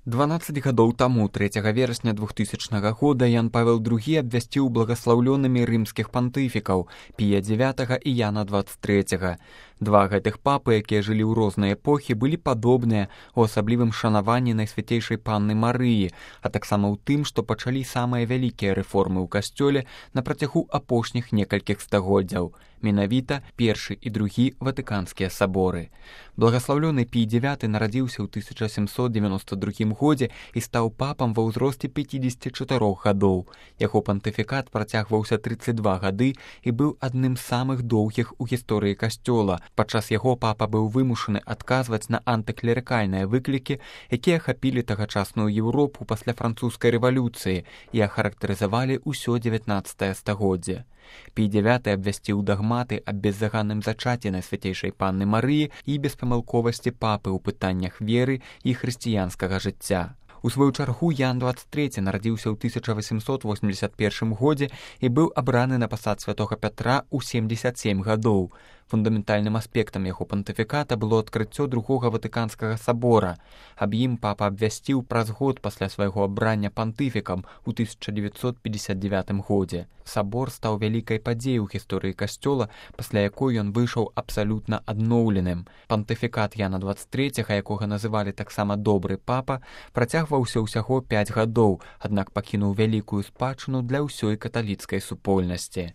12 гадоў таму, 3 верасня 2000 года, Ян Павел II абвясціў благаслаўлёнымі рымскіх пантыфікаў Пія IX і Яна XXIII. Два гэтых папы, якія жылі ў розныя эпохі, былі падобныя ў асаблівым шанаванні Найсвяцейшай Панны Марыі, а таксама ў тым, што пачалі самыя вялікія рэформы ў касцёле на працягу апошніх некалькіх стагоддзяў, менавіта першы і другі ватыканскія саборы. Благаслаўлёны Пій IX нарадзіўся ў 1792 годзе і стаў папам ва ўзросце 54 гадоў. Яго пантыфікат працягваўся 32 гады і быў адным з самых доўгіх у гісторыі касцёла. Падчас яго папа быў вымушаны адказваць на антыклерыкальныя выклікі, якія ахапілі тагачасную Еўропу пасля французскай рэвалюцыі і ахарактарызавалі ўсё 19 стагоддзе. Пій IX абвясціў дагматы аб беззаганным зачаці Найсвяцейшай Панны Марыі і беспамылковасці папы ў пытаннях веры і хрысціянскага жыцця. У сваю чаргу Ян XXIII нарадзіўся ў 1881 годзе і быў абраны на пасад святога Пятра ў 77 гадоў. Фундаментальным аспектам яго пантыфіката было адкрыццё другога ватыканскага сабора. Аб ім папа абвясціў праз год пасля свайго абрання пантыфікам у 1959 годзе. Сабор стаў вялікай падзеяй у гісторыі касцёла, пасля якой ён выйшаў абсалютна адноўленым. Пантыфікат Яна XXIII, якога называлі таксама добры папа, працягваўся ўсяго 5 гадоў, аднак пакінуў вялікую спадчыну для ўсёй каталіцкай супольнасці.